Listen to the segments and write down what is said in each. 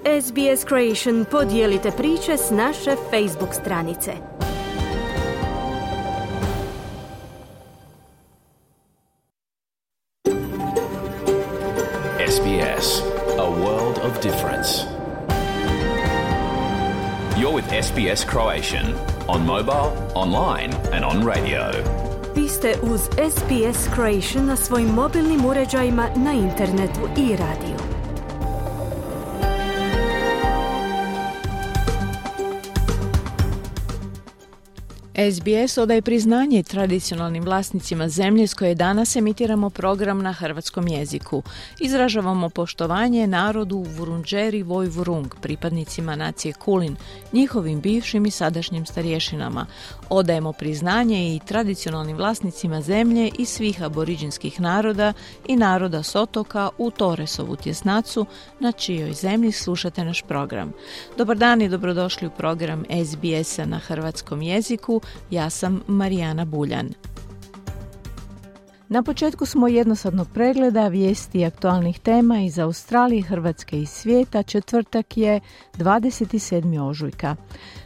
SBS Creation podijelite priče s naše Facebook stranice. SBS, a world of difference. You're with SBS Croatian on mobile, online and on radio. Vi ste uz SBS Croatian na svojim mobilnim uređajima, na internetu i radiju. SBS odaje priznanje tradicionalnim vlasnicima zemlje s koje danas emitiramo program na hrvatskom jeziku. Izražavamo poštovanje narodu Vurundjeri Woi-wurrung, pripadnicima nacije Kulin, njihovim bivšim i sadašnjim starješinama. Odajemo priznanje i tradicionalnim vlasnicima zemlje i svih aboriđinskih naroda i naroda s otoka u Torresovu tjesnacu, na čijoj zemlji slušate naš program. Dobar dan i dobrodošli u program SBS-a na hrvatskom jeziku. Ja sam Marijana Buljan. Na početku smo jednosadnog pregleda vijesti aktualnih tema iz Australije, Hrvatske i svijeta. Četvrtak je 27. ožujka.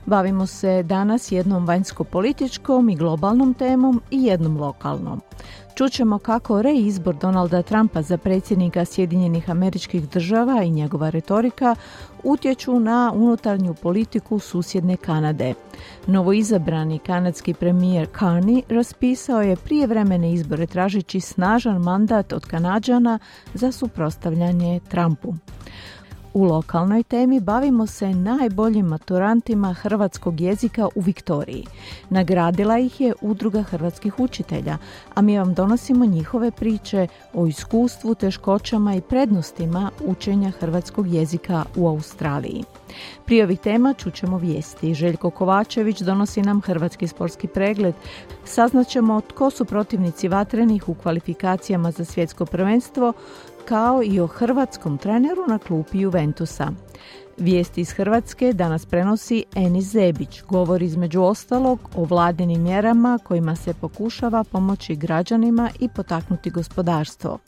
Bavimo se danas jednom vanjsko-političkom i globalnom temom i jednom lokalnom. Čućemo kako reizbor Donalda Trumpa za predsjednika Sjedinjenih Američkih Država i njegova retorika utječu na unutarnju politiku susjedne Kanade. Novoizabrani kanadski premijer Carney raspisao je prijevremene izbore tražeći snažan mandat od Kanađana za suprotstavljanje Trumpu. U lokalnoj temi bavimo se najboljim maturantima hrvatskog jezika u Viktoriji. Nagradila ih je Udruga hrvatskih učitelja, a mi vam donosimo njihove priče o iskustvu, teškoćama i prednostima učenja hrvatskog jezika u Australiji. Prije ovih tema čućemo vijesti. Željko Kovačević donosi nam hrvatski sportski pregled. Saznaćemo tko su protivnici vatrenih u kvalifikacijama za svjetsko prvenstvo, kao i o hrvatskom treneru na klupi Juventusa. Vijesti iz Hrvatske danas prenosi Enis Zebić. Govori između ostalog o vladinim mjerama kojima se pokušava pomoći građanima i potaknuti gospodarstvo.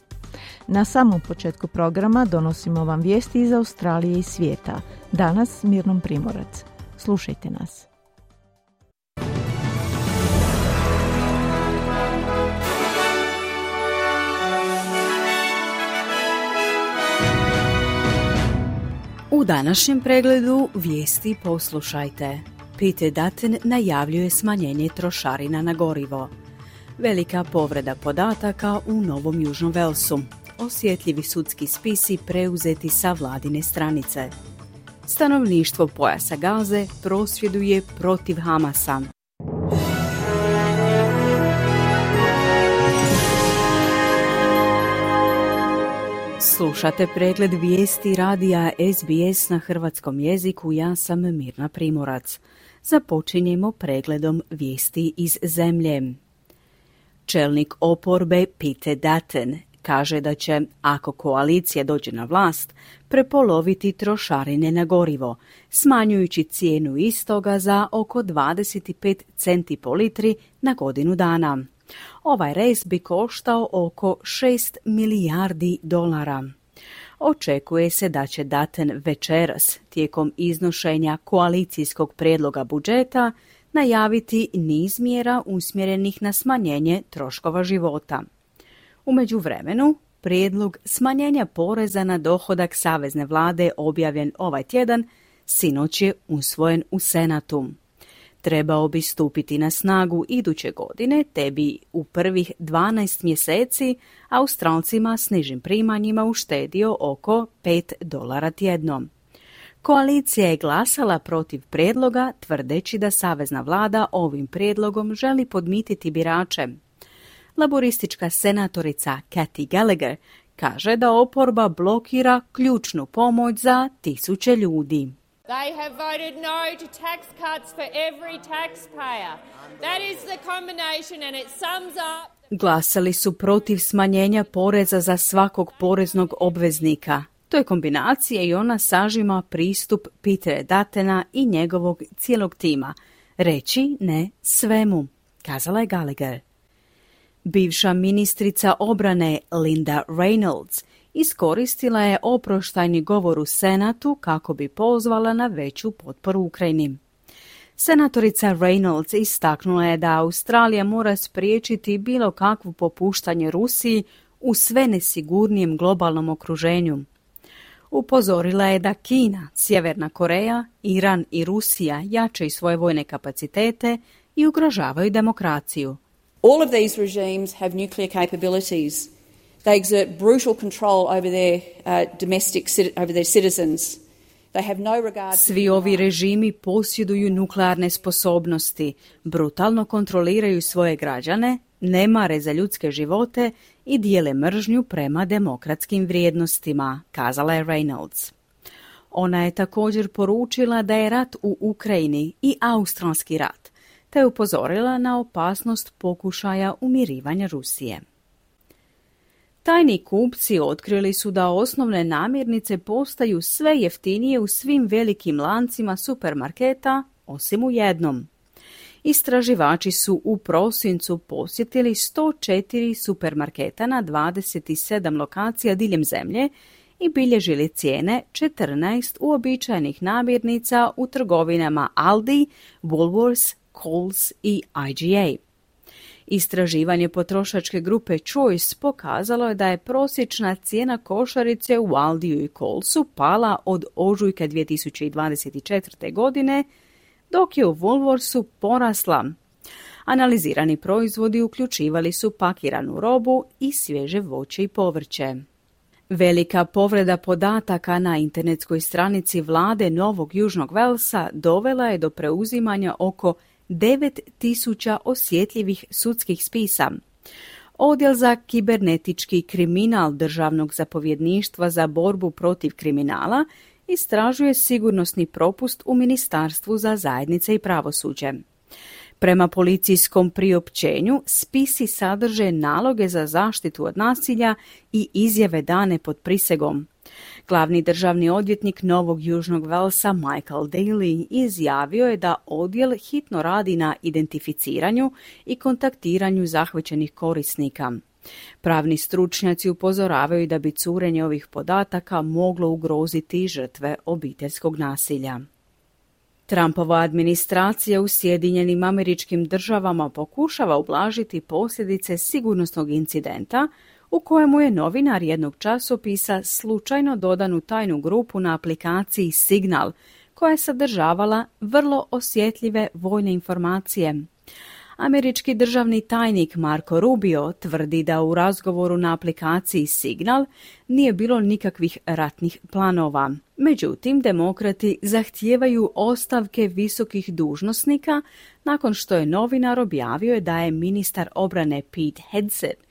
Na samom početku programa donosimo vam vijesti iz Australije i svijeta. Danas Mirnom Primorac. Slušajte nas. U današnjem pregledu vijesti poslušajte. Peter Dutton najavljuje smanjenje trošarina na gorivo. Velika povreda podataka u Novom Južnom Velsu. Osjetljivi sudski spisi preuzeti sa vladine stranice. Stanovništvo pojasa Gaze prosvjeduje protiv Hamasa. Slušate pregled vijesti radija SBS na hrvatskom jeziku. Ja sam Mirna Primorac. Započinjemo pregledom vijesti iz zemlje. Čelnik oporbe Peter Dutton kaže da će, ako koalicija dođe na vlast, prepoloviti trošarine na gorivo, smanjujući cijenu istoga za oko 25 centi po litri na godinu dana. Ovaj rez bi koštao oko 6 milijardi dolara. Očekuje se da će Dutton večeras, tijekom iznošenja koalicijskog prijedloga budžeta, najaviti niz mjera usmjerenih na smanjenje troškova života. U međuvremenu, prijedlog smanjenja poreza na dohodak savezne vlade objavljen ovaj tjedan sinoć je usvojen u Senatu. Trebao bi stupiti na snagu iduće godine, te bi u prvih 12 mjeseci Australcima s nižim primanjima uštedio oko $5 tjedno. Koalicija je glasala protiv prijedloga, tvrdeći da savezna vlada ovim prijedlogom želi podmititi birače. Laboristička senatorica Kathy Gallagher kaže da oporba blokira ključnu pomoć za tisuće ljudi. They have voted no to tax cuts for every taxpayer. That is the combination and it sums up. Glasali su protiv smanjenja poreza za svakog poreznog obveznika. To je kombinacija i ona sažima pristup Petera Duttona i njegovog cijelog tima. Reći ne svemu, kazala je Gallagher. Bivša ministrica obrane Linda Reynolds iskoristila je oproštajni govor u Senatu kako bi pozvala na veću potporu Ukrajini. Senatorica Reynolds istaknula je da Australija mora spriječiti bilo kakvo popuštanje Rusiji u sve nesigurnijem globalnom okruženju. Upozorila je da Kina, Sjeverna Koreja, Iran i Rusija jačaju svoje vojne kapacitete i ugrožavaju demokraciju. All of these regimes have nuclear capabilities. They exert brutal control over their over their citizens. They have no regard. Svi ovi režimi posjeduju nuklearne sposobnosti, brutalno kontroliraju svoje građane, ne mare za ljudske živote i dijele mržnju prema demokratskim vrijednostima, kazala je Reynolds. Ona je također poručila da je rat u Ukrajini i australski rat, te je upozorila na opasnost pokušaja umirivanja Rusije. Tajni kupci otkrili su da osnovne namirnice postaju sve jeftinije u svim velikim lancima supermarketa, osim u jednom. Istraživači su u prosincu posjetili 104 supermarketa na 27 lokacija diljem zemlje i bilježili cijene 14 uobičajenih namirnica u trgovinama Aldi, Woolworths, Coles i IGA. Istraživanje potrošačke grupe Choice pokazalo je da je prosječna cijena košarice u Aldiju i Colesu pala od ožujka 2024. godine, dok je u Woolworthsu porasla. Analizirani proizvodi uključivali su pakiranu robu i svježe voće i povrće. Velika povreda podataka na internetskoj stranici vlade Novog Južnog Velsa dovela je do preuzimanja oko 9.000 osjetljivih sudskih spisa. Odjel za kibernetički kriminal Državnog zapovjedništva za borbu protiv kriminala istražuje sigurnosni propust u Ministarstvu za zajednice i pravosuđe. Prema policijskom priopćenju, spisi sadrže naloge za zaštitu od nasilja i izjave dane pod prisegom. Glavni državni odvjetnik Novog Južnog Velsa Michael Daly izjavio je da odjel hitno radi na identificiranju i kontaktiranju zahvaćenih korisnika. Pravni stručnjaci upozoravaju da bi curenje ovih podataka moglo ugroziti žrtve obiteljskog nasilja. Trumpova administracija u Sjedinjenim Američkim Državama pokušava ublažiti posljedice sigurnosnog incidenta u kojemu je novinar jednog časopisa slučajno dodan u tajnu grupu na aplikaciji Signal, koja je sadržavala vrlo osjetljive vojne informacije. Američki državni tajnik Marco Rubio tvrdi da u razgovoru na aplikaciji Signal nije bilo nikakvih ratnih planova. Međutim, demokrati zahtijevaju ostavke visokih dužnosnika nakon što je novinar objavio da je ministar obrane Pete Hegseth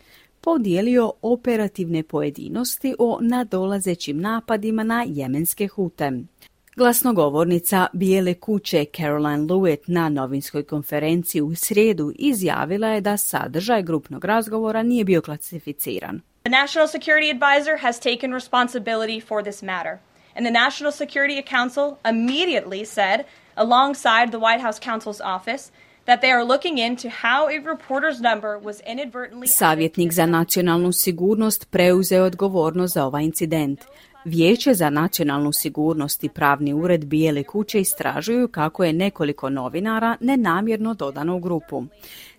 podijelio operativne pojedinosti o nadolazećim napadima na jemenske Hute. Glasnogovornica Bijele kuće Caroline Lewitt na novinskoj konferenciji u srijedu izjavila je da sadržaj grupnog razgovora nije bio klasificiran. The National Security Advisor has taken responsibility for this matter, and the National Security Council immediately said, alongside the White House counsel's office, that they are looking into how a reporter's number was inadvertently... Savjetnik za nacionalnu sigurnost preuzeo odgovornost za ovaj incident. Vijeće za nacionalnu sigurnost i pravni ured Bijele kuće istražuju kako je nekoliko novinara nenamjerno dodano u grupu.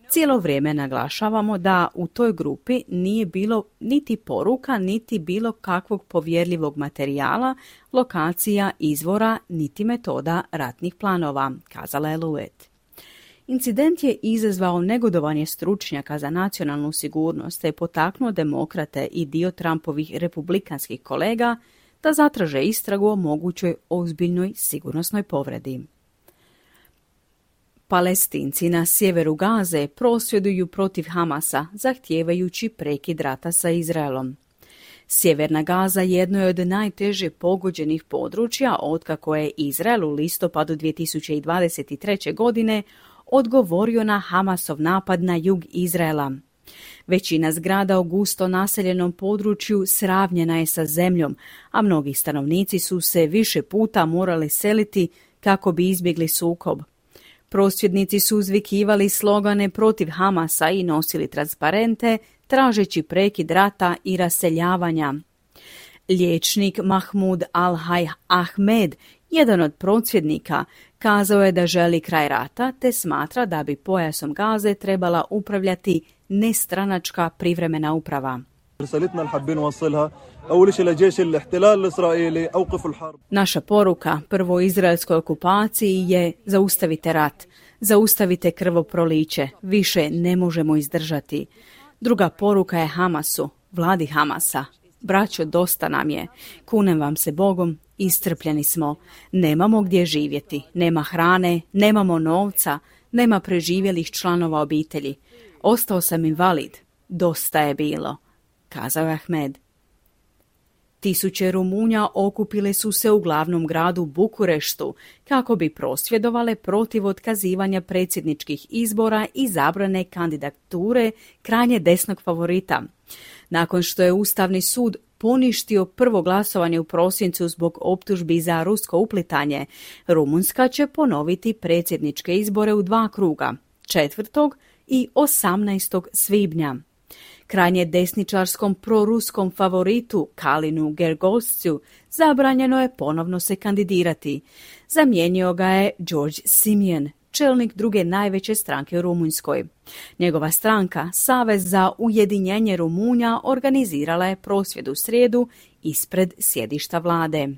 Cijelo vrijeme naglašavamo da u toj grupi nije bilo niti poruka, niti bilo kakvog povjerljivog materijala, lokacija, izvora, niti metoda ratnih planova, kazala je Lewitt. Incident je izazvao negodovanje stručnjaka za nacionalnu sigurnost te je potaknuo demokrate i dio Trumpovih republikanskih kolega da zatraže istragu o mogućoj ozbiljnoj sigurnosnoj povredi. Palestinci na sjeveru Gaze prosvjeduju protiv Hamasa, zahtijevajući prekid rata sa Izraelom. Sjeverna Gaza jedno je od najteže pogođenih područja otkako je Izrael u listopadu 2023. godine odgovorio na Hamasov napad na jug Izraela. Većina zgrada u gusto naseljenom području sravnjena je sa zemljom, a mnogi stanovnici su se više puta morali seliti kako bi izbjegli sukob. Prosvjednici su uzvikivali slogane protiv Hamasa i nosili transparente, tražeći prekid rata i raseljavanja. Liječnik Mahmud Al-Hay Ahmed, jedan od prosvjednika, kazao je da želi kraj rata te smatra da bi pojasom Gaze trebala upravljati nestranačka privremena uprava. Naša poruka prvoj izraelskoj okupaciji je zaustavite rat, zaustavite krvoproliće, više ne možemo izdržati. Druga poruka je Hamasu, vladi Hamasa. Braćo, dosta nam je. Kunem vam se Bogom, iscrpljeni smo. Nemamo gdje živjeti, nema hrane, nemamo novca, nema preživjelih članova obitelji. Ostao sam invalid. Dosta je bilo, kazao je Ahmed. Tisuće Rumunja okupile su se u glavnom gradu Bukureštu kako bi prosvjedovale protiv otkazivanja predsjedničkih izbora i zabrane kandidature krajnje desnog favorita. Nakon što je Ustavni sud poništio prvo glasovanje u prosincu zbog optužbi za rusko uplitanje, Rumunjska će ponoviti predsjedničke izbore u 2 kruga, 4. i 18. svibnja. Krajnje desničarskom proruskom favoritu Kalinu Gergoscu zabranjeno je ponovno se kandidirati. Zamijenio ga je George Simion, čelnik druge najveće stranke u Rumunjskoj. Njegova stranka, Savez za ujedinjenje Rumunja, organizirala je prosvjed u srijedu ispred sjedišta vlade.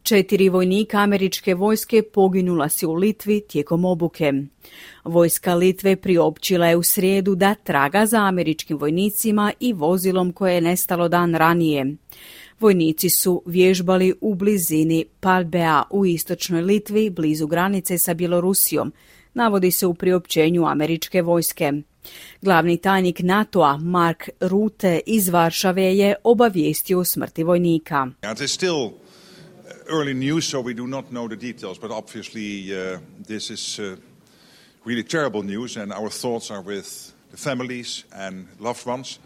4 vojnika američke vojske poginula su u Litvi tijekom obuke. Vojska Litve priopćila je u srijedu da traga za američkim vojnicima i vozilom koje je nestalo dan ranije. Vojnici su vježbali u blizini Palbea u istočnoj Litvi, blizu granice sa Bjelorusijom, navodi se u priopćenju američke vojske. Glavni tajnik NATO-a Mark Rutte iz Varšave je obavijestio o smrti vojnika. Early news, so we do not know the details, but obviously this is really terrible news, and our thoughts are with the families and loved ones.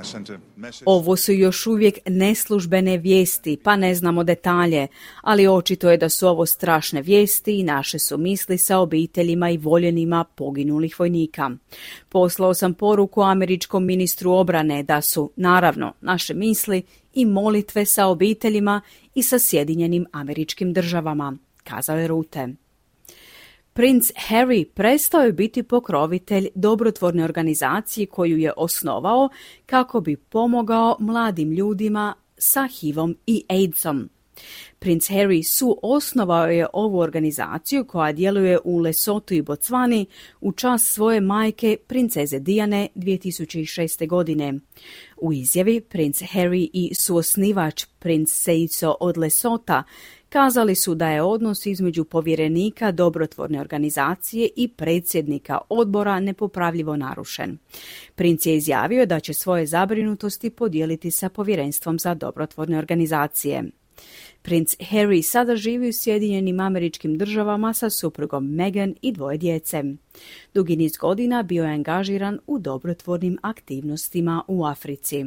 I sent a message. Ovo su još uvijek neslužbene vijesti, pa ne znamo detalje, ali očito je da su ovo strašne vijesti i naše su misli sa obiteljima i voljenima poginulih vojnika. Poslao sam poruku američkom ministru obrane da su, naravno, naše misli i molitve sa obiteljima i sa Sjedinjenim Američkim Državama, kazao je Rutte. Princ Harry prestao je biti pokrovitelj dobrotvorne organizacije koju je osnovao kako bi pomogao mladim ljudima sa HIV-om i AIDS-om. Princ Harry suosnovao je ovu organizaciju koja djeluje u Lesotu i Bocvani u čast svoje majke, princeze Diane, 2006. godine. U izjavi princ Harry i suosnivač princ Seiso od Lesota kazali su da je odnos između povjerenika dobrotvorne organizacije i predsjednika odbora nepopravljivo narušen. Princ je izjavio da će svoje zabrinutosti podijeliti sa povjerenstvom za dobrotvorne organizacije. Princ Harry sada živi u Sjedinjenim Američkim Državama sa suprugom Meghan i 2 djece. Dugi niz godina bio je angažiran u dobrotvornim aktivnostima u Africi.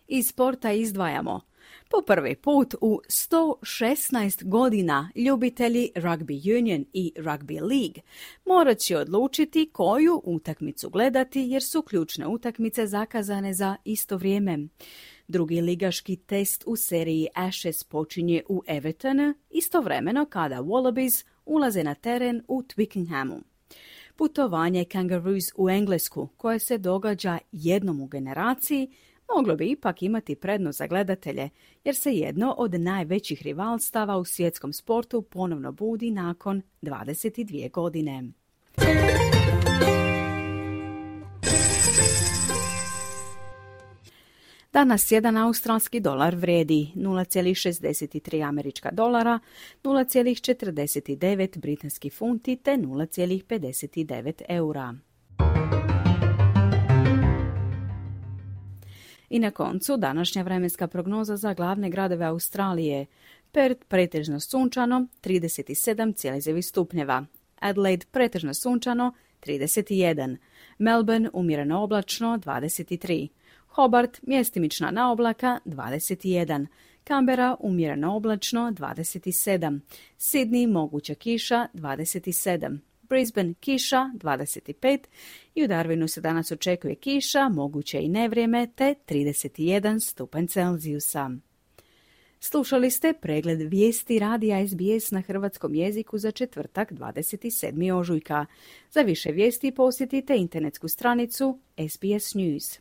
Iz sporta izdvajamo. Po prvi put u 116 godina ljubitelji Rugby Union i Rugby League morat će odlučiti koju utakmicu gledati jer su ključne utakmice zakazane za isto vrijeme. Drugi ligaški test u seriji Ashes počinje u Evertonu istovremeno kada Wallabies ulaze na teren u Twickenhamu. Putovanje Kangaroos u Englesku, koje se događa jednom u generaciji, moglo bi ipak imati prednost za gledatelje, jer se jedno od najvećih rivalstava u svjetskom sportu ponovno budi nakon 22 godine. Danas jedan australski dolar vrijedi 0,63 američka dolara, 0,49 britanskih funti te 0,59 eura. I na koncu današnja vremenska prognoza za glavne gradove Australije. Perth pretežno sunčano 37,1 stupnjeva, Adelaide pretežno sunčano 31, Melbourne umjereno oblačno 23, Hobart mjestimična na oblaka 21, Canberra umjereno oblačno 27, Sydney moguća kiša 27, Brisbane kiša 25 i u Darwinu se danas očekuje kiša, moguće i nevrijeme te 31 stupanj Celzijusa. Slušali ste pregled vijesti radija SBS na hrvatskom jeziku za četvrtak 27. ožujka. Za više vijesti posjetite internetsku stranicu SBS News.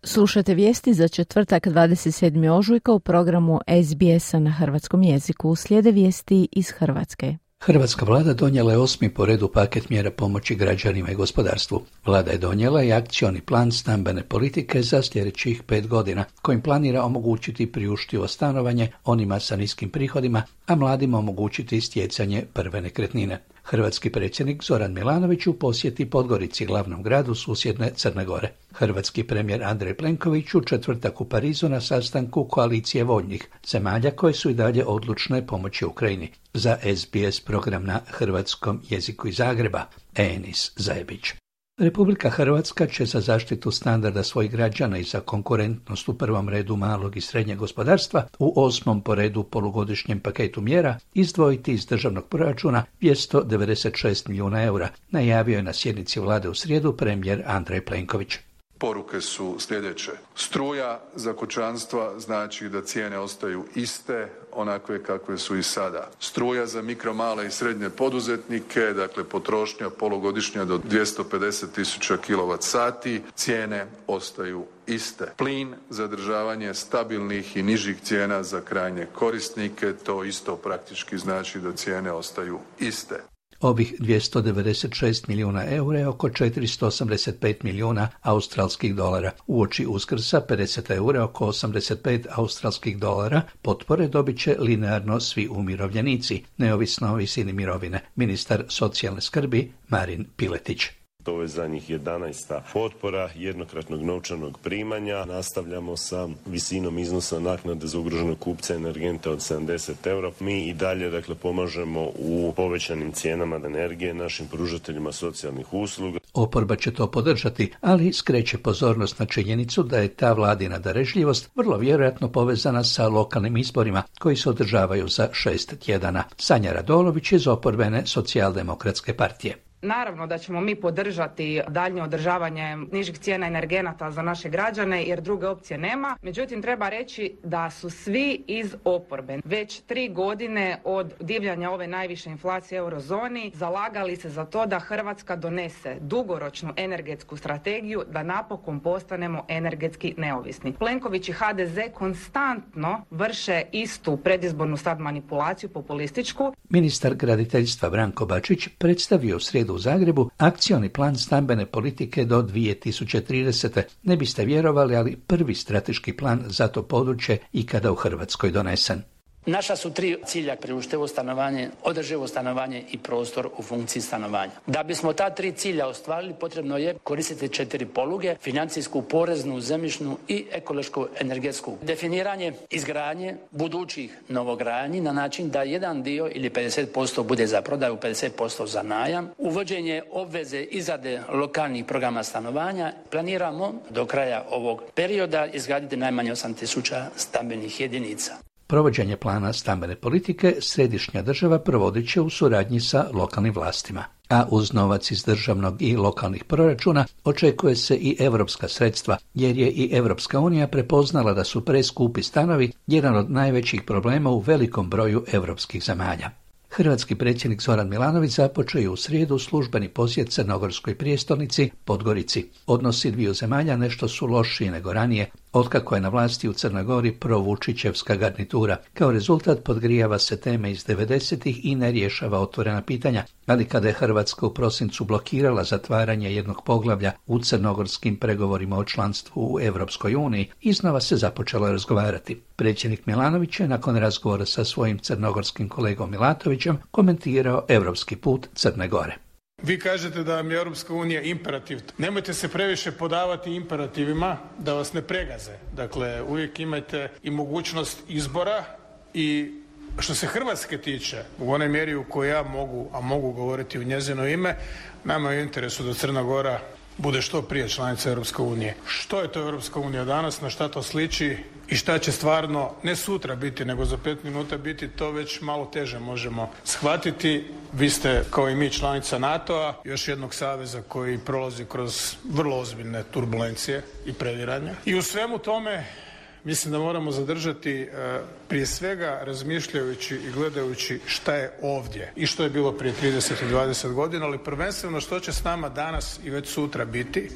Slušate vijesti za četvrtak 27. ožujka u programu SBS-a na hrvatskom jeziku. Slijede vijesti iz Hrvatske. Hrvatska vlada donijela je 8. po redu paket mjera pomoći građanima i gospodarstvu. Vlada je donijela i akcioni plan stambene politike za sljedećih 5 godina, kojim planira omogućiti priuštivo stanovanje onima sa niskim prihodima, a mladima omogućiti stjecanje prve nekretnine. Hrvatski predsjednik Zoran Milanović u posjeti Podgorici, glavnom gradu susjedne Crne Gore. Hrvatski premijer Andrej Plenković u četvrtak u Parizu na sastanku koalicije voljnih zemalja koje su i dalje odlučne pomoći Ukrajini. Za SBS program na hrvatskom jeziku iz Zagreba, Enis Zajebić. Republika Hrvatska će za zaštitu standarda svojih građana i za konkurentnost u prvom redu malog i srednjeg gospodarstva u 8. po redu polugodišnjem paketu mjera izdvojiti iz državnog proračuna 296 milijuna eura, najavio je na sjednici vlade u srijedu premijer Andrej Plenković. Poruke su sljedeće. Struja za kućanstva znači da cijene ostaju iste, onakve kakve su i sada. Struja za mikro, male i srednje poduzetnike, dakle potrošnja polugodišnja do 250.000 kWh, cijene ostaju iste. Plin za održavanje stabilnih i nižih cijena za krajnje korisnike, to isto praktički znači da cijene ostaju iste. Ovih 296 milijuna eura je oko 485 milijuna australskih dolara. Uoči Uskrsa 50 eura, oko 85 australskih dolara, potpore dobit će linearno svi umirovljenici, neovisno o visini mirovine. Ministar socijalne skrbi Marin Piletić. Ovo je za njih 11. potpora jednokratnog novčanog primanja. Nastavljamo sa visinom iznosa naknade za ugroženog kupca energenta od 70 eura. Mi i dalje pomažemo u povećanim cijenama energije našim pružateljima socijalnih usluga. Oporba će to podržati, ali skreće pozornost na činjenicu da je ta vladina darežljivost vrlo vjerojatno povezana sa lokalnim izborima koji se održavaju za 6 tjedana. Sanja Radolović iz oporbene socijaldemokratske partije. Naravno da ćemo mi podržati daljnje održavanje nižih cijena energenata za naše građane jer druge opcije nema. Međutim, treba reći da su svi iz oporbe već 3 godine od divljanja ove najviše inflacije u eurozoni zalagali se za to da Hrvatska donese dugoročnu energetsku strategiju da napokon postanemo energetski neovisni. Plenković i HDZ konstantno vrše istu predizbornu sad manipulaciju populističku. Ministar graditeljstva Branko Bačić predstavio u srijedu u Zagrebu akcioni plan stambene politike do 2030. Ne biste vjerovali, ali prvi strateški plan za to područje ikada u Hrvatskoj donesen. Naša su 3 cilja: priuštivo stanovanje, održivo stanovanje i prostor u funkciji stanovanja. Da bismo ta 3 cilja ostvarili, potrebno je koristiti 4 poluge: financijsku, poreznu, zemljišnu i ekološku energetsku. Definiranje izgradnje budućih novogradnji na način da jedan dio ili 50% bude za prodaju, 50% za najam. Uvođenje obveze izrade lokalnih programa stanovanja. Planiramo do kraja ovog perioda izgraditi najmanje 8.000 stambenih jedinica. Provođenje plana stambene politike središnja država provodit će u suradnji sa lokalnim vlastima. A uz novac iz državnog i lokalnih proračuna očekuje se i europska sredstva, jer je i Europska unija prepoznala da su preskupi stanovi jedan od najvećih problema u velikom broju europskih zemalja. Hrvatski predsjednik Zoran Milanović započeo je u srijedu službeni posjet crnogorskoj prijestolnici Podgorici. Odnosi dviju zemalja nešto su lošiji nego ranije, otkako je na vlasti u Crnoj Gori provučićevska garnitura. Kao rezultat podgrijava se teme iz 90-ih i ne rješava otvorena pitanja, ali kada je Hrvatska u prosincu blokirala zatvaranje jednog poglavlja u crnogorskim pregovorima o članstvu u Europskoj uniji, iznova se započelo razgovarati. Predsjednik Milanović je nakon razgovora sa svojim crnogorskim kolegom Milatovićem komentirao europski put Crne Gore. Vi kažete da vam je Europska unija imperativ. Nemojte se previše podavati imperativima da vas ne pregaze. Dakle, uvijek imajte i mogućnost izbora i što se Hrvatske tiče, u onoj mjeri u kojoj ja mogu, a mogu govoriti u njezino ime, nama je u interesu da Crna Gora bude što prije članica Europske unije. Što je to Europska unija danas, na šta to sliči i šta će stvarno ne sutra biti, nego za 5 minuta biti, to već malo teže možemo shvatiti. Vi ste kao i mi članica NATO-a, još jednog saveza koji prolazi kroz vrlo ozbiljne turbulencije i previranja. I u svemu tome mislim da moramo zadržati prije svega razmišljajući i gledajući šta je ovdje i što je bilo prije 30 i 20 godina, ali prvenstveno što će s nama danas i već sutra biti.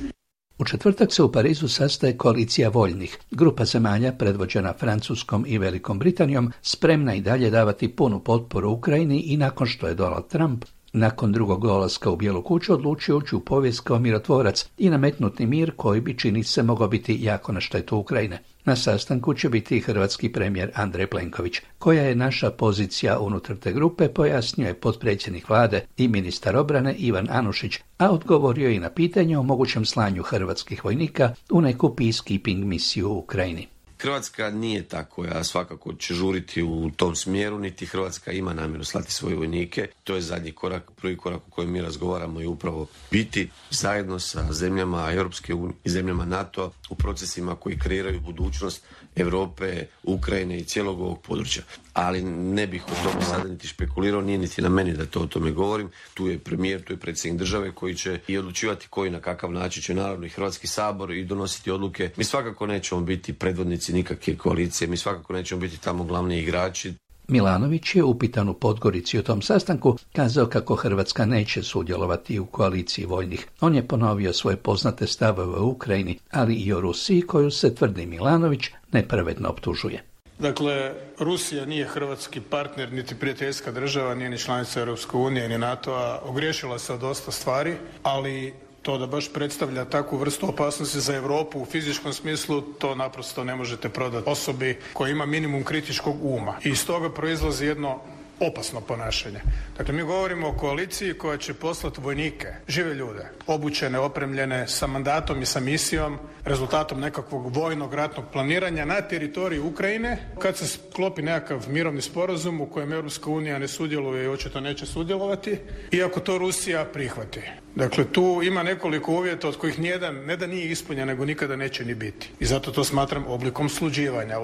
U četvrtak se u Parizu sastaje koalicija voljnih. Grupa zemalja predvođena Francuskom i Velikom Britanijom spremna i dalje davati punu potporu Ukrajini i nakon što je Donald Trump nakon drugog dolaska u Bijelu kuću odlučio ući u povijest kao mirotvorac i nametnuti mir koji bi, čini se, mogao biti jako na štetu Ukrajine. Na sastanku će biti i hrvatski premijer Andrej Plenković. Koja je naša pozicija unutar te grupe, pojasnio je potpredsjednik vlade i ministar obrane Ivan Anušić, a odgovorio i na pitanje o mogućem slanju hrvatskih vojnika u neku peacekeeping misiju u Ukrajini. Hrvatska nije ta koja svakako će žuriti u tom smjeru, niti Hrvatska ima namjeru slati svoje vojnike. To je zadnji korak, prvi korak o kojem mi razgovaramo i upravo biti zajedno sa zemljama Europske unije i zemljama NATO u procesima koji kreiraju budućnost Europe, Ukrajine i cijelog ovog područja. Ali ne bih o tome sada niti špekulirao, nije niti na meni da to o tome govorim. Tu je premijer, tu je predsjednik države koji će i odlučivati koji na kakav način će naravno i Hrvatski sabor i donositi odluke. Mi svakako nećemo biti predvodnici nikakve koalicije, mi svakako nećemo biti tamo glavni igrači. Milanović je upitan u Podgorici o tom sastanku kazao kako Hrvatska neće sudjelovati u koaliciji voljnih. On je ponovio svoje poznate stavove u Ukrajini, ali i o Rusiji koju se, tvrdi Milanović, nepravedno optužuje. Dakle, Rusija nije hrvatski partner, niti prijateljska država, nije ni članica Europske unije, ni NATO-a. Ogriješila se od dosta stvari, ali to da baš predstavlja takvu vrstu opasnosti za Europu u fizičkom smislu, to naprosto ne možete prodati osobi koja ima minimum kritičkog uma. I iz toga proizlazi jedno opasno ponašanje. Dakle, mi govorimo o koaliciji koja će poslati vojnike, žive ljude, obučene, opremljene, sa mandatom i sa misijom, rezultatom nekakvog vojnog ratnog planiranja na teritoriju Ukrajine. Kad se sklopi nekakav mirovni sporazum u kojem Europska unija ne sudjeluje i očito neće sudjelovati, iako to Rusija prihvati. Dakle, tu ima nekoliko uvjeta od kojih nijedan ne da nije ispunjen, nego nikada neće ni biti. I zato to smatram oblikom sluđivanja.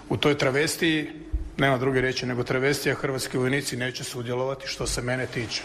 U toj travestiji, nema druge riječi nego travestija, hrvatski vojnici neće sudjelovati što se mene tiče.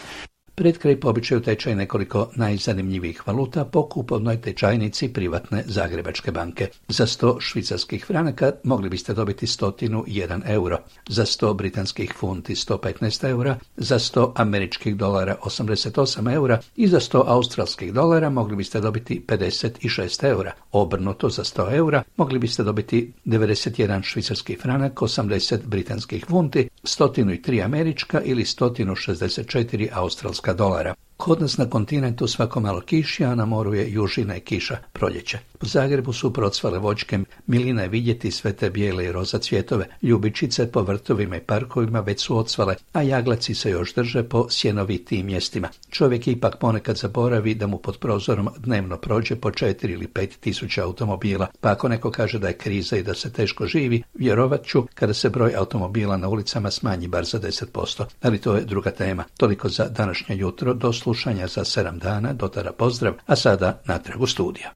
Pred kraj po običaju tečaj nekoliko najzanimljivijih valuta po kupovnoj tečajnici privatne Zagrebačke banke. Za 100 švicarskih franaka mogli biste dobiti 101 euro, za 100 britanskih funti 115 eura, za 100 američkih dolara 88 eura i za 100 australskih dolara mogli biste dobiti 56 eura. Obrnuto, za 100 eura mogli biste dobiti 91 švicarski franak, 80 britanskih funti, 103 američka ili 164 australska dolara. Kod nas na kontinentu svako malo kiši, a na moru je južina i kiša, proljeće. Po Zagrebu su procvale voćke, milina je vidjeti sve te bijele i roza cvjetove. Ljubičice po vrtovima i parkovima već su ocvale, a jaglaci se još drže po sjenovitijim mjestima. Čovjek ipak ponekad zaboravi da mu pod prozorom dnevno prođe po 4 ili 5 tisuća automobila, pa ako neko kaže da je kriza i da se teško živi, vjerovat ću kada se broj automobila na ulicama smanji bar za 10%. Ali to je druga tema. Toliko za današnje jutro, do slušanja za 7 dana, do tada pozdrav, a sada natrag u studiju.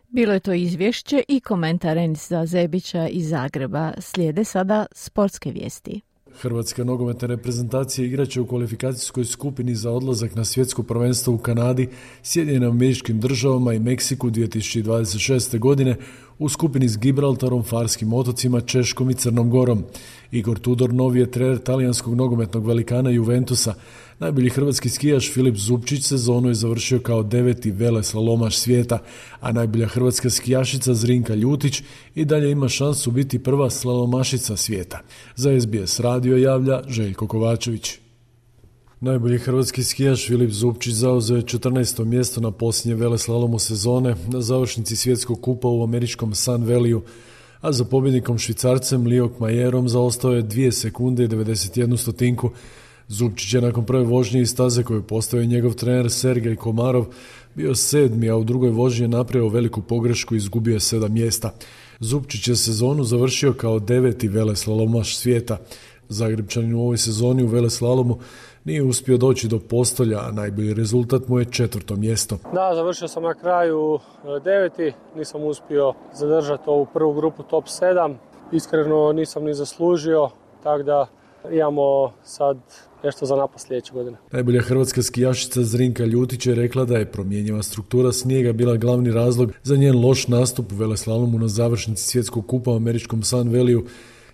Bilo je to izvješće i komentar Enisa Zebića iz Zagreba. Slijede sada sportske vijesti. Hrvatska nogometna reprezentacija igraće u kvalifikacijskoj skupini za odlazak na svjetsko prvenstvo u Kanadi, Sjedinjenim Američkim Državama i Meksiku 2026. godine u skupini s Gibraltarom, Farskim otocima, Češkom i Crnom Gorom. Igor Tudor novi je trener talijanskog nogometnog velikana Juventusa. Najbolji hrvatski skijaš Filip Zupčić sezonu je završio kao 9. veleslalomaš svijeta, a najbolja hrvatska skijašica Zrinka Ljutić i dalje ima šansu biti prva slalomašica svijeta. Za SBS radio javlja Željko Kovačević. Najbolji hrvatski skijaš Filip Zupčić zauzeo je 14. mjesto na posljednje veleslalomu sezone na završnici svjetskog kupa u američkom Sun Valleyu, a za pobjednikom Švicarcem Liok Majerom zaostao je 2 sekunde i 91 stotinku. Zupčić je nakon prve vožnje iz staze koju postavio njegov trener Sergej Komarov bio 7. a u drugoj vožnji je napravio veliku pogrešku i izgubio je 7 mjesta. Zupčić je sezonu završio kao 9. veleslalomaš svijeta. Zagrebčanin u ovoj sezoni u veleslalomu nije uspio doći do postolja, a najbolji rezultat mu je 4. mjesto. Da, završio sam na kraju 9. Nisam uspio zadržati ovu prvu grupu top 7. Iskreno nisam ni zaslužio, tako da imamo sad nešto za napad sljedeće godine. Najbolja hrvatska skijašica Zrinka Ljutić je rekla da je promjenjiva struktura snijega bila glavni razlog za njen loš nastup u veleslalomu na završnici svjetskog kupa u američkom Sun Valleyu,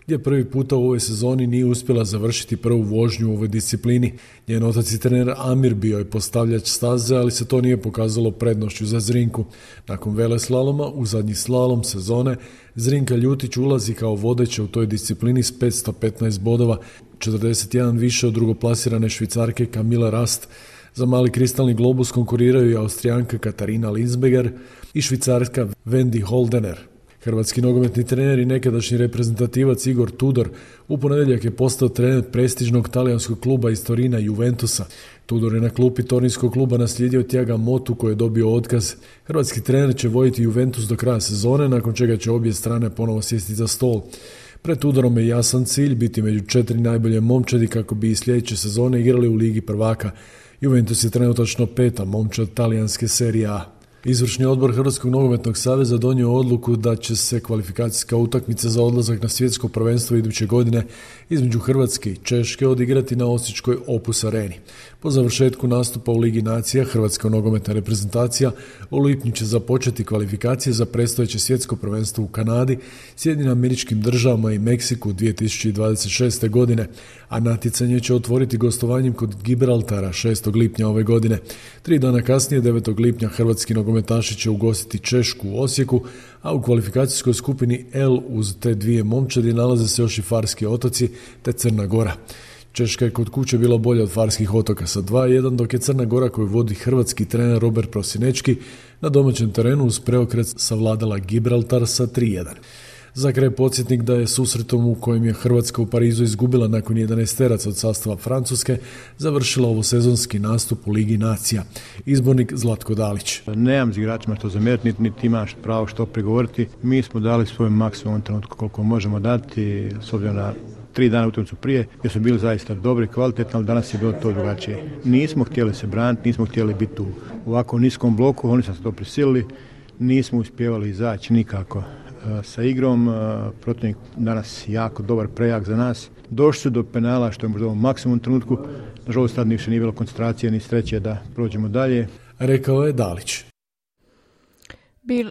gdje prvi puta u ovoj sezoni nije uspjela završiti prvu vožnju u ovoj disciplini. Njen otac i trener Amir bio je postavljač staze, ali se to nije pokazalo prednošću za Zrinku. Nakon veleslaloma, u zadnji slalom sezone, Zrinka Ljutić ulazi kao vodeća u toj disciplini s 515 bodova, 41 više od drugoplasirane Švicarke Camilla Rast. Za mali kristalni globus konkuriraju i Austrijanka Katarina Linsberger i Švicarska Wendy Holdener. Hrvatski nogometni trener i nekadašnji reprezentativac Igor Tudor u ponedjeljak je postao trener prestižnog talijanskog kluba iz Torina Juventusa. Tudor je na klupi tornijskog kluba naslijedio Thiaga Motu koji je dobio otkaz. Hrvatski trener će voditi Juventus do kraja sezone, nakon čega će obje strane ponovo sjesti za stol. Pred Tudorom je jasan cilj biti među 4 najbolje momčadi kako bi i sljedeće sezone igrali u Ligi prvaka. Juventus je trenutačno 5. momčad talijanske Serie A. Izvršni odbor Hrvatskog nogometnog saveza donio odluku da će se kvalifikacijska utakmica za odlazak na svjetsko prvenstvo iduće godine između Hrvatske i Češke odigrati na osječkoj Opus Areni. Po završetku nastupa u Ligi nacija, Hrvatska nogometna reprezentacija u lipnju će započeti kvalifikacije za predstojeće svjetsko prvenstvo u Kanadi, Sjedinjenim Američkim Državama i Meksiku 2026. godine, a natjecanje će otvoriti gostovanjem kod Gibraltara 6. lipnja ove godine. 3 dana kasnije, 9. lipnja, hrvatski nogometaši će ugostiti Češku u Osijeku, a u kvalifikacijskoj skupini L uz te dvije momčadi nalaze se još i Farski otoci te Crna Gora. Češka je kod kuće bila bolja od Farskih otoka sa 2-1, dok je Crna Gora, koju vodi hrvatski trener Robert Prosinečki, na domaćem terenu uz preokret savladala Gibraltar sa 3-1. Za kraj podsjetnik da je susretom u kojem je Hrvatska u Parizu izgubila nakon 11 od sastava Francuske završila ovosezonski nastup u Ligi nacija. Izbornik Zlatko Dalić. Nemam s igračima što zamjeriti, niti imaš pravo što prigovoriti. Mi smo dali svoj maksimum trenutku koliko možemo dati, s obzirom na 3 dana utakmicu prije, jer smo bili zaista dobri, kvalitetni, ali danas je bilo to drugačije. Nismo htjeli se braniti, nismo htjeli biti u ovako niskom bloku, oni su se to prisilili, nismo uspjevali izaći nikako sa igrom. Protivnik danas jako dobar, prejak za nas. Došli su do penala, što je možda u maksimum trenutku. Nažalost, tad više nije bilo koncentracije ni sreće da prođemo dalje. Rekao je Dalić.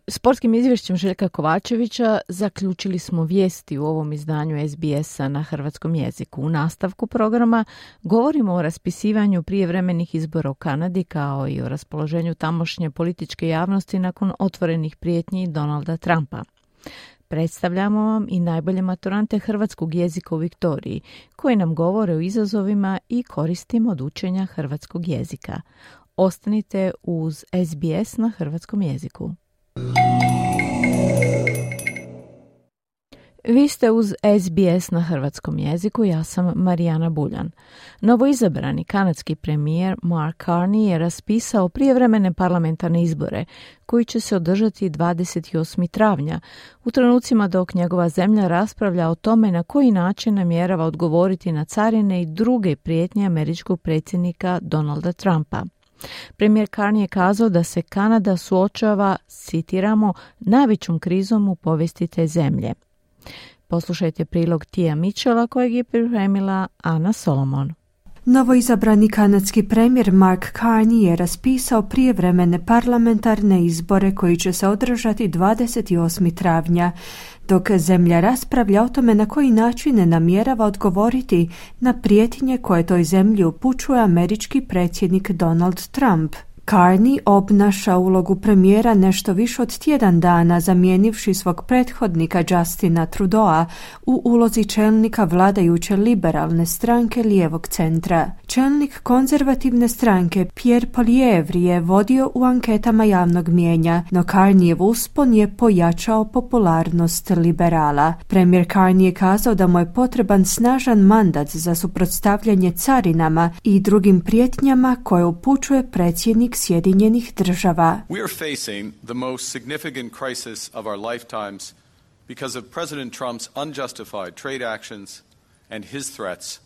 Sportskim izvješćem Željka Kovačevića zaključili smo vijesti u ovom izdanju SBS-a na hrvatskom jeziku. U nastavku programa govorimo o raspisivanju prijevremenih izbora u Kanadi kao i o raspoloženju tamošnje političke javnosti nakon otvorenih prijetnji Donalda Trumpa. Predstavljamo vam i najbolje maturante hrvatskog jezika u Viktoriji, koji nam govore o izazovima i koristima od učenja hrvatskog jezika. Ostanite uz SBS na hrvatskom jeziku. Vi ste uz SBS na hrvatskom jeziku, ja sam Marijana Buljan. Novoizabrani kanadski premijer Mark Carney je raspisao prijevremene parlamentarne izbore koji će se održati 28. travnja, u trenucima dok njegova zemlja raspravlja o tome na koji način namjerava odgovoriti na carine i druge prijetnje američkog predsjednika Donalda Trumpa. Premijer Carney je kazao da se Kanada suočava, citiramo, najvećom krizom u povijesti te zemlje. Poslušajte prilog Tia Mitchella kojeg je pripremila Ana Solomon. Novoizabrani kanadski premijer Mark Carney je raspisao prijevremene parlamentarne izbore koji će se održati 28. travnja, dok zemlja raspravlja o tome na koji način namjerava odgovoriti na prijetnje koje toj zemlji upućuje američki predsjednik Donald Trump. Carney obnaša ulogu premijera nešto više od tjedan dana, zamijenivši svog prethodnika Justina Trudeau u ulozi čelnika vladajuće liberalne stranke lijevog centra. Čelnik konzervativne stranke Pierre Poilievre je vodio u anketama javnog mijenja, no Carneyev uspon je pojačao popularnost liberala. Premijer Carney je kazao da mu je potreban snažan mandat za suprotstavljanje carinama i drugim prijetnjama koje upućuje predsjednik Sjedinjenih država. We are facing the most significant crisis of our lifetimes because of President Trump's unjustified trade actions and his threats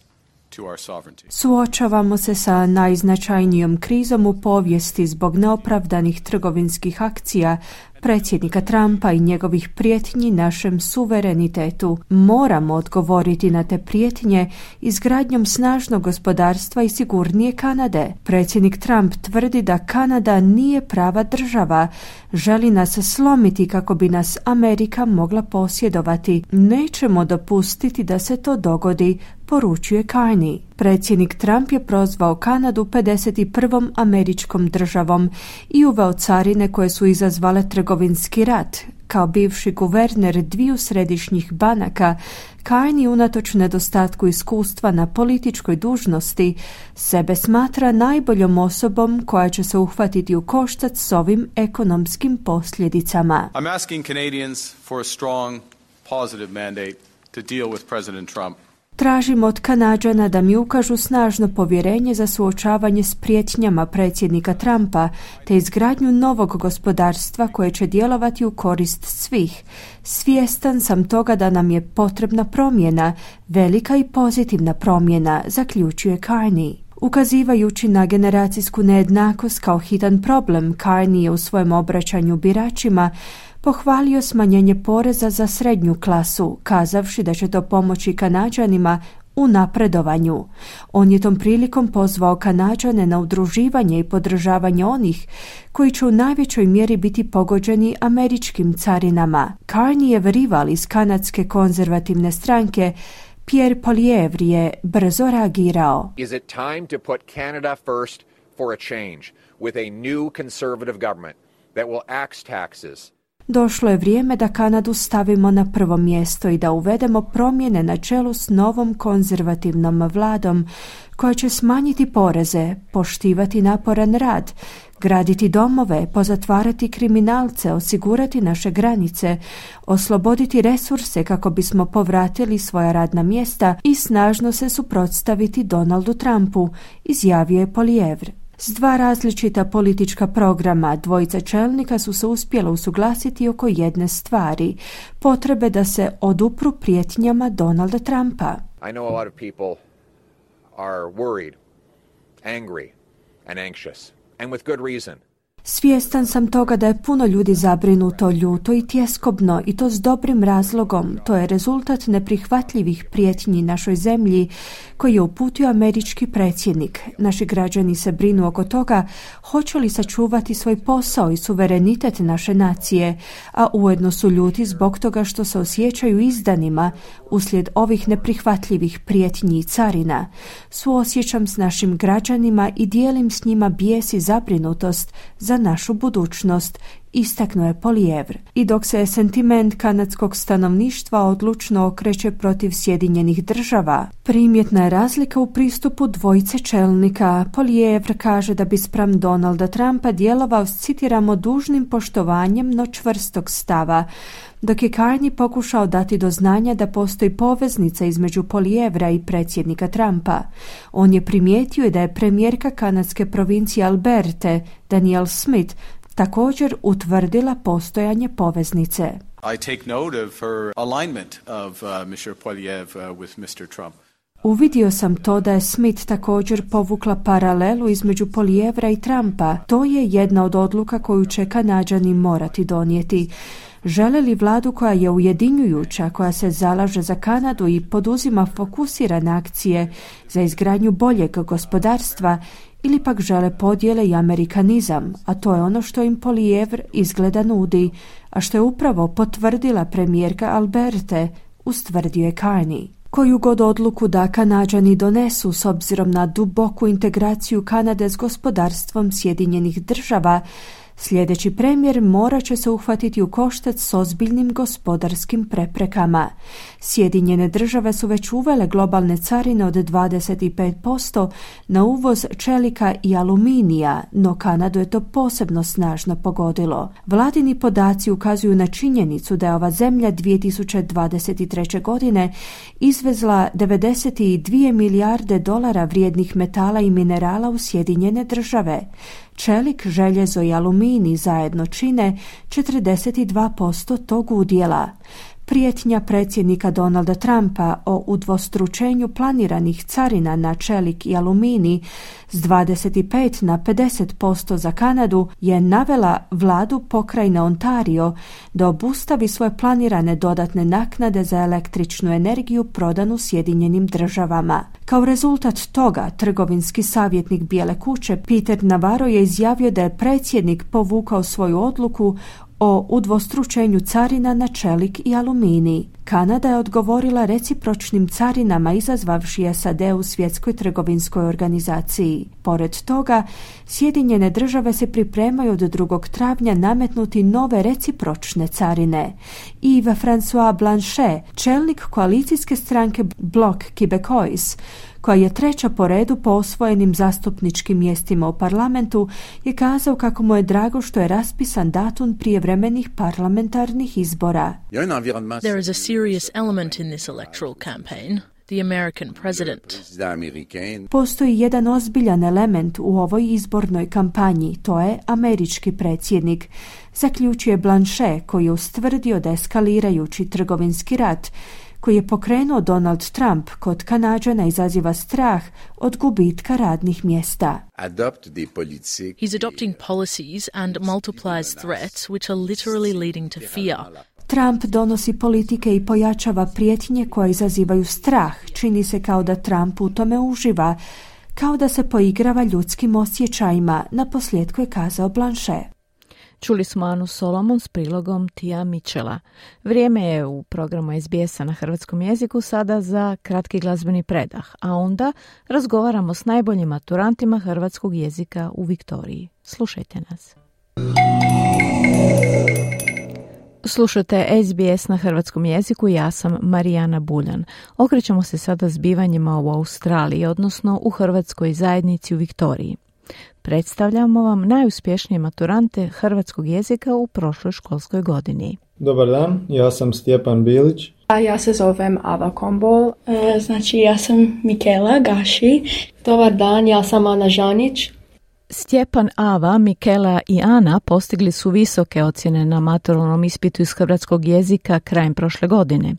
to our sovereignty. Suočavamo se sa najznačajnijom krizom u povijesti zbog neopravdanih trgovinskih akcija predsjednika Trumpa i njegovih prijetnji našem suverenitetu. Moramo odgovoriti na te prijetnje izgradnjom snažnog gospodarstva i sigurnije Kanade. Predsjednik Trump tvrdi da Kanada nije prava država. Želi nas slomiti kako bi nas Amerika mogla posjedovati. Nećemo dopustiti da se to dogodi, poručuje Carney. Predsjednik Trump je prozvao Kanadu 51. američkom državom i uveo carine koje su izazvale trgovinski rat. Kao bivši guverner dviju središnjih banaka, Carney unatoč nedostatku iskustva na političkoj dužnosti sebe smatra najboljom osobom koja će se uhvatiti u koštac s ovim ekonomskim posljedicama. I'm asking Canadians for a strong, positive mandate to deal with President Trump. Tražim od Kanađana da mi ukažu snažno povjerenje za suočavanje s prijetnjama predsjednika Trumpa te izgradnju novog gospodarstva koje će djelovati u korist svih. Svjestan sam toga da nam je potrebna promjena, velika i pozitivna promjena, zaključuje Carney. Ukazivajući na generacijsku nejednakost kao hitan problem, Carney je u svojem obraćanju biračima pohvalio smanjenje poreza za srednju klasu, kazavši da će to pomoći Kanađanima u napredovanju. On je tom prilikom pozvao Kanađane na udruživanje i podržavanje onih koji će u najvećoj mjeri biti pogođeni američkim carinama. Carneyjev rival iz kanadske konzervativne stranke Pierre Poilievre je brzo reagirao. Is it time to put Canada first for a change with a new conservative government that will axe taxes? Došlo je vrijeme da Kanadu stavimo na prvo mjesto i da uvedemo promjene na čelu s novom konzervativnom vladom koja će smanjiti poreze, poštivati naporan rad, graditi domove, pozatvarati kriminalce, osigurati naše granice, osloboditi resurse kako bismo povratili svoja radna mjesta i snažno se suprotstaviti Donaldu Trumpu, izjavio je Poilievre. S dva različita politička programa dvojica čelnika su se uspjela usuglasiti oko jedne stvari, potrebe da se odupru prijetnjama Donalda Trumpa. I know a lot of people are worried, angry and anxious, and with good reason. Svjestan sam toga da je puno ljudi zabrinuto, ljuto i tjeskobno i to s dobrim razlogom. To je rezultat neprihvatljivih prijetnji našoj zemlji koji je uputio američki predsjednik. Naši građani se brinu oko toga hoće li sačuvati svoj posao i suverenitet naše nacije, a ujedno su ljuti zbog toga što se osjećaju izdanima uslijed ovih neprihvatljivih prijetnji i carina. Suosjećam s našim građanima i dijelim s njima bijes i zabrinutost za našu budućnost, istaknuo je Poilievre. I dok se sentiment kanadskog stanovništva odlučno okreće protiv Sjedinjenih država, primjetna je razlika u pristupu dvojice čelnika. Poilievre kaže da bi spram Donalda Trumpa djelovao s, citiramo, dužnim poštovanjem no čvrstog stava, dok je Carney pokušao dati do znanja da postoji poveznica između Poilievra i predsjednika Trumpa. On je primijetio da je premijerka kanadske provincije Alberte, Danielle Smith, također utvrdila postojanje poveznice. I take note of her alignment of Mr. Poilievre with Mr. Trump. Uvidio sam to da je Smith također povukla paralelu između Poilievra i Trumpa. To je jedna od odluka koju će Kanađani morati donijeti. Žele li vladu koja je ujedinjujuća, koja se zalaže za Kanadu i poduzima fokusirane akcije za izgradnju boljeg gospodarstva, ili pak žele podjele i amerikanizam, a to je ono što im Poilievre izgleda nudi, a što je upravo potvrdila premijerka Alberte, ustvrdio je Carney. Koju god odluku da Kanađani donesu s obzirom na duboku integraciju Kanade s gospodarstvom Sjedinjenih država, sljedeći premijer morat će se uhvatiti u koštac s ozbiljnim gospodarskim preprekama. Sjedinjene države su već uvele globalne carine od 25% na uvoz čelika i aluminija, no Kanadu je to posebno snažno pogodilo. Vladini podaci ukazuju na činjenicu da je ova zemlja 2023. godine izvezla 92 milijarde dolara vrijednih metala i minerala u Sjedinjene države. Čelik, željezo i aluminij zajedno čine 42% tog udjela. Prijetnja predsjednika Donalda Trumpa o udvostručenju planiranih carina na čelik i aluminij s 25 na 50% za Kanadu je navela vladu pokrajine Ontario da obustavi svoje planirane dodatne naknade za električnu energiju prodanu Sjedinjenim državama. Kao rezultat toga, trgovinski savjetnik Bijele kuće Peter Navarro je izjavio da je predsjednik povukao svoju odluku o udvostručenju carina na čelik i aluminij. Kanada je odgovorila recipročnim carinama izazvavši SAD u Svjetskoj trgovinskoj organizaciji. Pored toga, Sjedinjene države se pripremaju od 2. travnja nametnuti nove recipročne carine. Yves François Blanchet, čelnik koalicijske stranke Bloc Québécois, koja je treća po redu po osvojenim zastupničkim mjestima u parlamentu, je kazao kako mu je drago što je raspisan datum prijevremenih parlamentarnih izbora. There is a serious element in this electoral campaign. The American president. Postoji jedan ozbiljan element u ovoj izbornoj kampanji, to je američki predsjednik, zaključuje Blanchet, koji je ustvrdio da eskalirajući trgovinski rat koji je pokrenuo Donald Trump kod Kanađana izaziva strah od gubitka radnih mjesta. He's adopting policies and multiplies threats which are literally leading to fear. Trump donosi politike i pojačava prijetnje koje izazivaju strah. Čini se kao da Trump u tome uživa, kao da se poigrava ljudskim osjećajima, naposljetku je kazao Blanchet. Čuli smo Anu Solomon s prilogom Tija Mitchella. Vrijeme je u programu SBS-a na hrvatskom jeziku sada za kratki glazbeni predah, a onda razgovaramo s najboljim maturantima hrvatskog jezika u Viktoriji. Slušajte nas. Slušajte SBS na hrvatskom jeziku, ja sam Marijana Buljan. Okrećemo se sada zbivanjima u Australiji, odnosno u hrvatskoj zajednici u Viktoriji. Predstavljamo vam najuspješnije maturante hrvatskog jezika u prošloj školskoj godini. Dobar dan, ja sam Stjepan Bilić. A ja se zovem Ava Kombol, znači ja sam Mikela Gaši. Dobar dan, ja sam Ana Žanić. Stjepan, Ava, Mikela i Ana postigli su visoke ocjene na maturalnom ispitu iz hrvatskog jezika krajem prošle godine.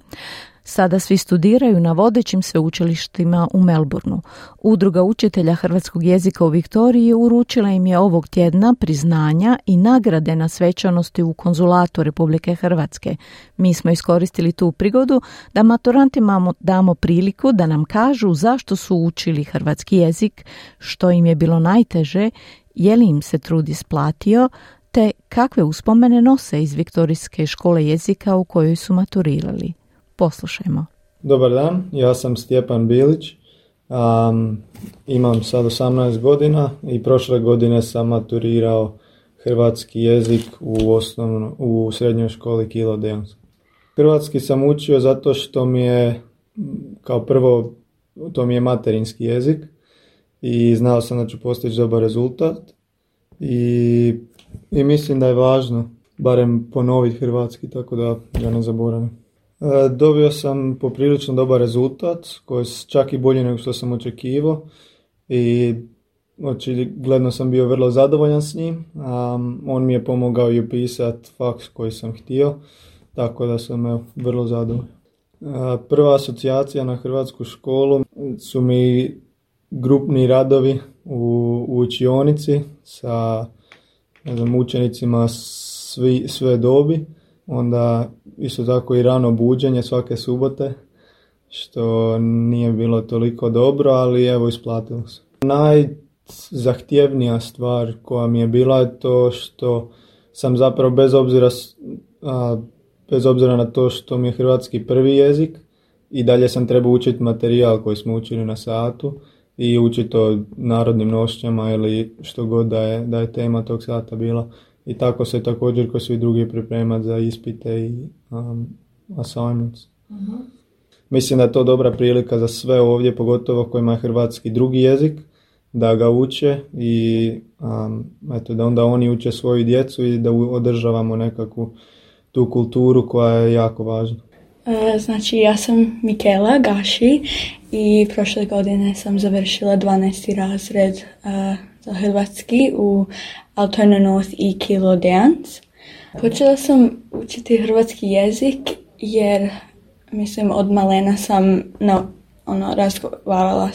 Sada svi studiraju na vodećim sveučilištima u Melbourneu. Udruga učitelja hrvatskog jezika u Viktoriji uručila im je ovog tjedna priznanja i nagrade na svečanosti u konzulatu Republike Hrvatske. Mi smo iskoristili tu prigodu da maturantima damo priliku da nam kažu zašto su učili hrvatski jezik, što im je bilo najteže, je li im se trud isplatio, te kakve uspomene nose iz Viktorijske škole jezika u kojoj su maturirali. Poslušajmo. Dobar dan, ja sam Stjepan Bilić, imam sad 18 godina i prošle godine sam maturirao hrvatski jezik u srednjoj školi Kilo Deans. Hrvatski sam učio zato što mi je, kao prvo, to mi je materinski jezik i znao sam da ću postići dobar rezultat i mislim da je važno barem ponoviti hrvatski, tako da ga ne zaboravim. Dobio sam poprilično dobar rezultat, koji je čak i bolji nego što sam očekivao i očigledno sam bio vrlo zadovoljan s njim. On mi je pomogao i upisati faks koji sam htio, tako da sam vrlo zadovoljan. Prva asocijacija na hrvatsku školu su mi grupni radovi u učionici sa učenicima sve dobi. Onda isto tako i rano buđenje svake subote, što nije bilo toliko dobro, ali evo isplatilo se. Najzahtjevnija stvar koja mi je bila je to što sam zapravo bez obzira na to što mi je hrvatski prvi jezik i dalje sam trebao učiti materijal koji smo učili na satu i učiti o narodnim nošnjama ili što god da je tema tog sata bila. I tako se također kao svi drugi pripremati za ispite i assignments. Uh-huh. Mislim da je to dobra prilika za sve ovdje, pogotovo kojima je hrvatski drugi jezik, da ga uče i da onda oni uče svoju djecu i da održavamo nekakvu tu kulturu koja je jako važna. Znači ja sam Mikela Gaši i prošle godine sam završila 12. razred za hrvatski u Altona North i Kilo Deans. Počela sam učiti hrvatski jezik jer mislim od malena sam razgovarala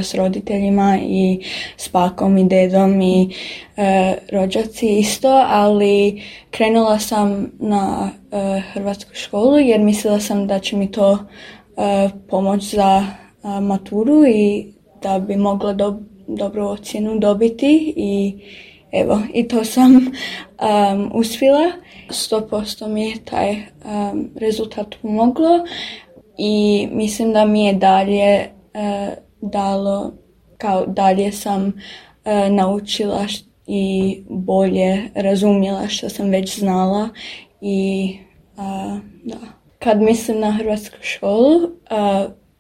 s roditeljima i s bakom i dedom i rođaci isto, ali krenula sam na hrvatsku školu jer mislila sam da će mi to pomoći za maturu i da bi mogla dobru ocjenu dobiti i evo, i to sam uspjela. 100% mi je taj rezultat pomoglo i mislim da mi je dalje dalo, kao dalje sam naučila i bolje razumjela što sam već znala i da. Kad mislim na hrvatsku školu,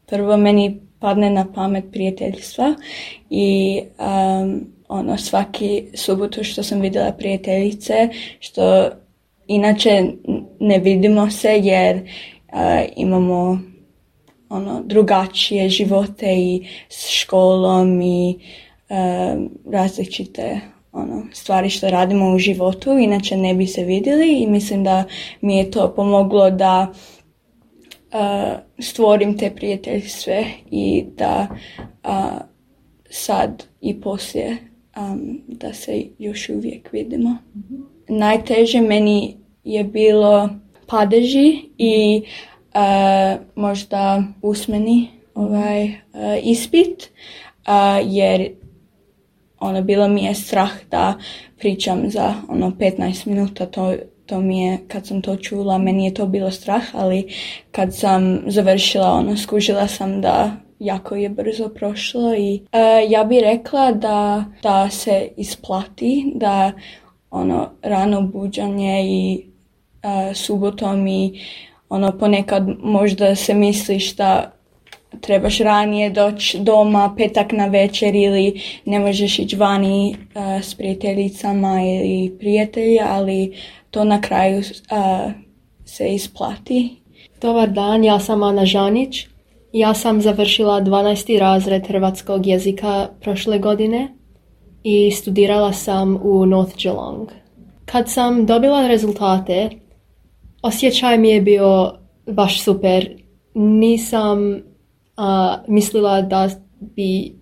prvo meni padne na pamet prijateljstva i svaki subotu što sam vidjela prijateljice, što inače ne vidimo se jer imamo drugačije živote i s školom i različite stvari što radimo u životu, inače ne bi se vidjeli i mislim da mi je to pomoglo da stvorim te prijateljstve i da sad i poslije da se još uvijek vidimo. Najteže meni je bilo padeži i možda usmeni ispit, jer bilo mi je strah da pričam za 15 minuta, to mi je, kad sam to čula, meni je to bilo strah, ali kad sam završila, skužila sam da jako je brzo prošlo i ja bih rekla da se isplati, da rano buđanje i subotom i ponekad možda se misliš da trebaš ranije doći doma petak na večer ili ne možeš ići vani s prijateljicama ili prijatelja, ali to na kraju se isplati. Dobar dan, ja sam Ana Žanić. Ja sam završila 12. razred hrvatskog jezika prošle godine i studirala sam u North Geelong. Kad sam dobila rezultate, osjećaj mi je bio baš super. Nisam mislila da bi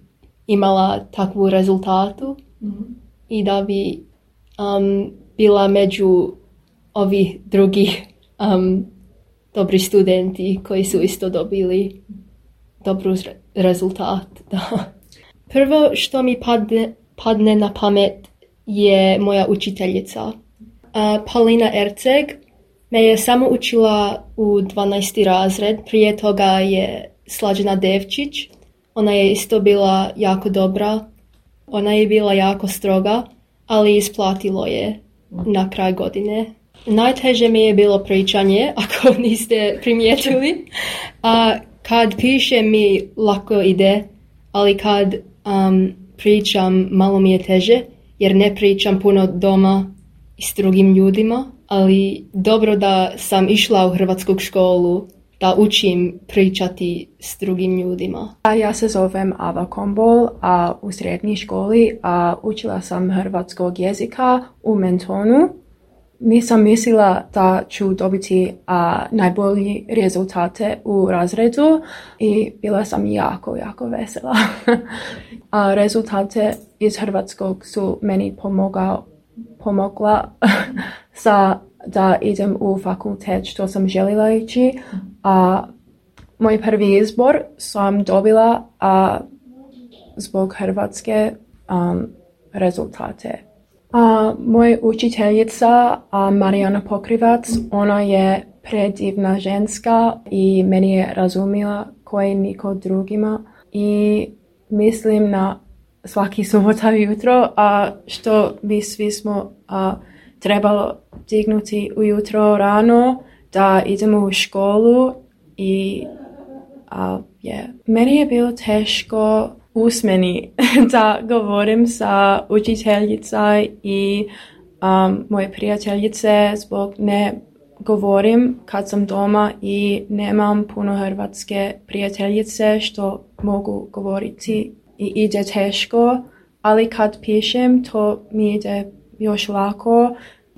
imala takvu rezultatu i da bi bila među ovih drugih dobri studenti koji su isto dobili dobru rezultat. Da. Prvo što mi padne na pamet je moja učiteljica. Paulina Erceg me je samo učila u 12. razred, prije toga je Slađana Devčić. Ona je isto bila jako dobra, ona je bila jako stroga, ali isplatilo je na kraj godine. Najteže mi je bilo pričanje, ako niste primijetili. Kad pišem mi lako ide, ali kad pričam malo mi je teže, jer ne pričam puno doma i s drugim ljudima, ali dobro da sam išla u hrvatsku školu da učim pričati s drugim ljudima. Ja se zovem Ava Kombol, a u srednjoj školi učila sam hrvatskog jezika u Mentonu. Nisam mislila da ću dobiti najbolji rezultate u razredu i bila sam jako vesela. Rezultate iz hrvatskog su meni pomogla da idem u fakultet što sam željela ići. Moj prvi izbor sam dobila zbog hrvatske rezultate. Moja učiteljica Marijana Pokrivac, ona je predivna ženska i meni je razumila koji niko drugima i mislim na svaki subota jutro što bi svi smo trebalo dignuti ujutro rano da idemo u školu i meni je bilo teško usmeni da govorim sa učiteljica i moje prijateljice zbog ne govorim kad sam doma i nemam puno hrvatske prijateljice što mogu govoriti i ide teško, ali kad pišem to mi ide još lako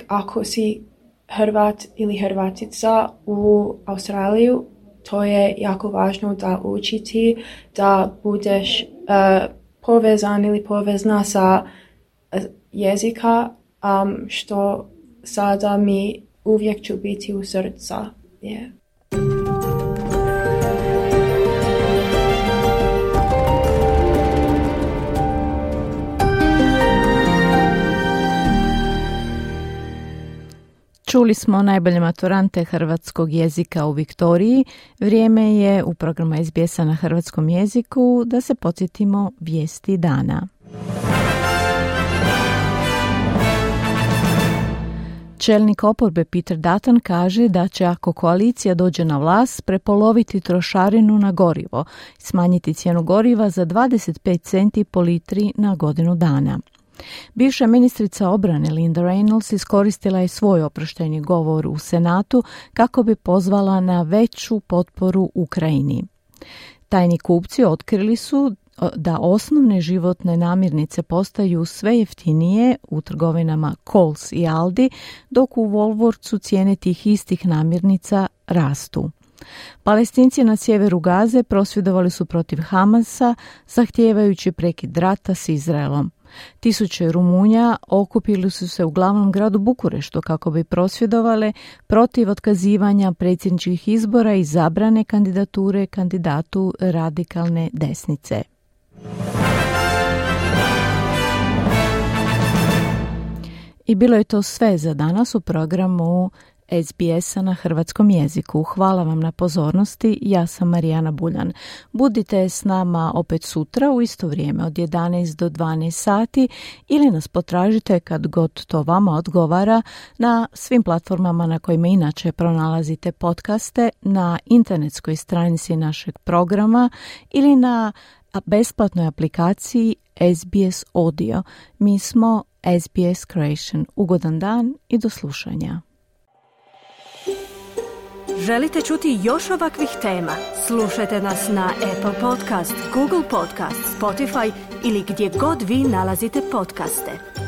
ako si Hrvat ili Hrvatica u Australiju, to je jako važno da učiti, da budeš povezan ili povezna sa jezika, što sada mi uvijek ću biti u srca. Yeah. Čuli smo najbolje maturante hrvatskog jezika u Viktoriji. Vrijeme je u programu SBS-a na hrvatskom jeziku da se podsjetimo vijesti dana. Čelnik oporbe Peter Dutton kaže da će, ako koalicija dođe na vlast, prepoloviti trošarinu na gorivo, smanjiti cijenu goriva za 25 centi po litri na godinu dana. Bivša ministrica obrane Linda Reynolds iskoristila je svoj oproštajni govor u Senatu kako bi pozvala na veću potporu Ukrajini. Tajni kupci otkrili su da osnovne životne namirnice postaju sve jeftinije u trgovinama Coles i Aldi, dok u Woolworthsu cijene tih istih namirnica rastu. Palestinci na sjeveru Gaze prosvjedovali su protiv Hamasa, zahtijevajući prekid rata s Izraelom. Tisuće Rumunja okupili su se u glavnom gradu Bukureštu kako bi prosvjedovale protiv otkazivanja predsjedničkih izbora i zabrane kandidature kandidatu radikalne desnice. I bilo je to sve za danas u programu SBS-a na hrvatskom jeziku. Hvala vam na pozornosti, ja sam Marijana Buljan. Budite s nama opet sutra u isto vrijeme od 11 do 12 sati ili nas potražite kad god to vama odgovara na svim platformama na kojima inače pronalazite podcaste, na internetskoj stranici našeg programa ili na besplatnoj aplikaciji SBS Audio. Mi smo SBS Creation. Ugodan dan i do slušanja. Želite čuti još ovakvih tema? Slušajte nas na Apple Podcast, Google Podcast, Spotify ili gdje god vi nalazite podcaste.